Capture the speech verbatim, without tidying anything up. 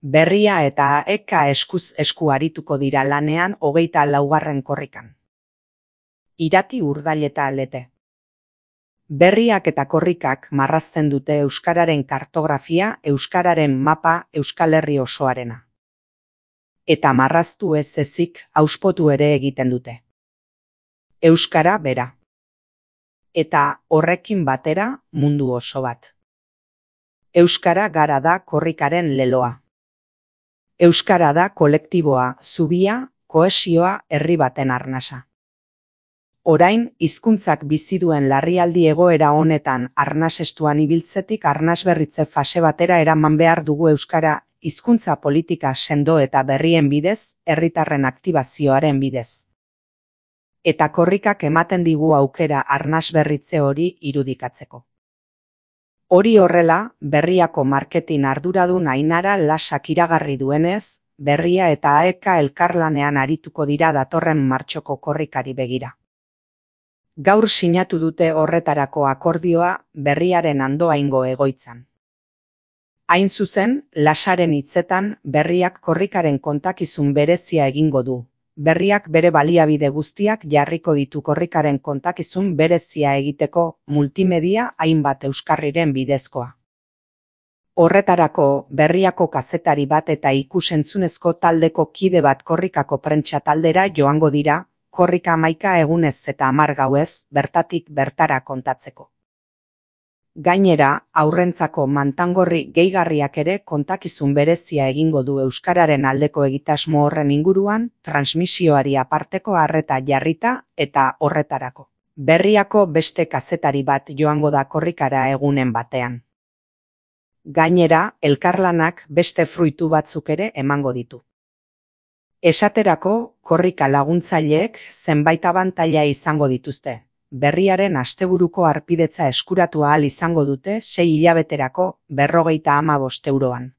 Berria eta eka eskuz esku arituko dira lanean hogeita laugarren korrikan. Irati Urdail eta Lete. Berriak eta korrikak marrazten dute euskararen kartografia, euskararen mapa Euskal Herri osoarena. Eta marraztu ez ezik hauspotu ere egiten dute. Euskara bera. Eta horrekin batera mundu oso bat. Euskara gara da korrikaren leloa. Euskara da kolektiboa, zubia, kohesioa, herri baten arnasa. Orain, hizkuntzak bizi duen larrialdi egoera honetan arnasestuan ibiltzetik arnasberritze fase batera eraman behar dugu euskara hizkuntza politika sendo eta berrien bidez, herritarren aktibazioaren bidez. Eta korrikak ematen digu aukera arnasberritze hori irudikatzeko. Hori horrela, Berriako marketing arduradun Ainara Lasak iragarri duenez, Berria eta eka elkarlanean arituko dira datorren martxoko korrikari begira. Gaur sinatu dute horretarako akordioa Berriaren Andoaingo egoitzan. Hain zuzen, Lasaren hitzetan Berriak korrikaren kontakizun berezia egingo du. Berriak bere baliabide guztiak jarriko ditu korrikaren kontakizun berezia egiteko multimedia hainbat euskarriren bidezkoa. Horretarako, Berriako kazetari bat eta ikus-entzunezko taldeko kide bat korrikako prentsa taldera joango dira, korrika hamaika egunez eta hamar gauez, bertatik bertara kontatzeko. Gainera, haurrentzako mantangorri gehigarriak ere kontakizun berezia egingo du euskararen aldeko egitasmo horren inguruan, transmisioari aparteko arreta jarrita eta horretarako. Berriako beste kazetari bat joango da korrikara egunen batean. Gainera, elkarlanak beste fruitu batzuk ere emango ditu. Esaterako, korrika laguntzaileek zenbait abantaila izango dituzte. Berriaren asteburuko harpidetza eskuratu ahal izango dute sei hilabeterako berrogeita hamabost euroan.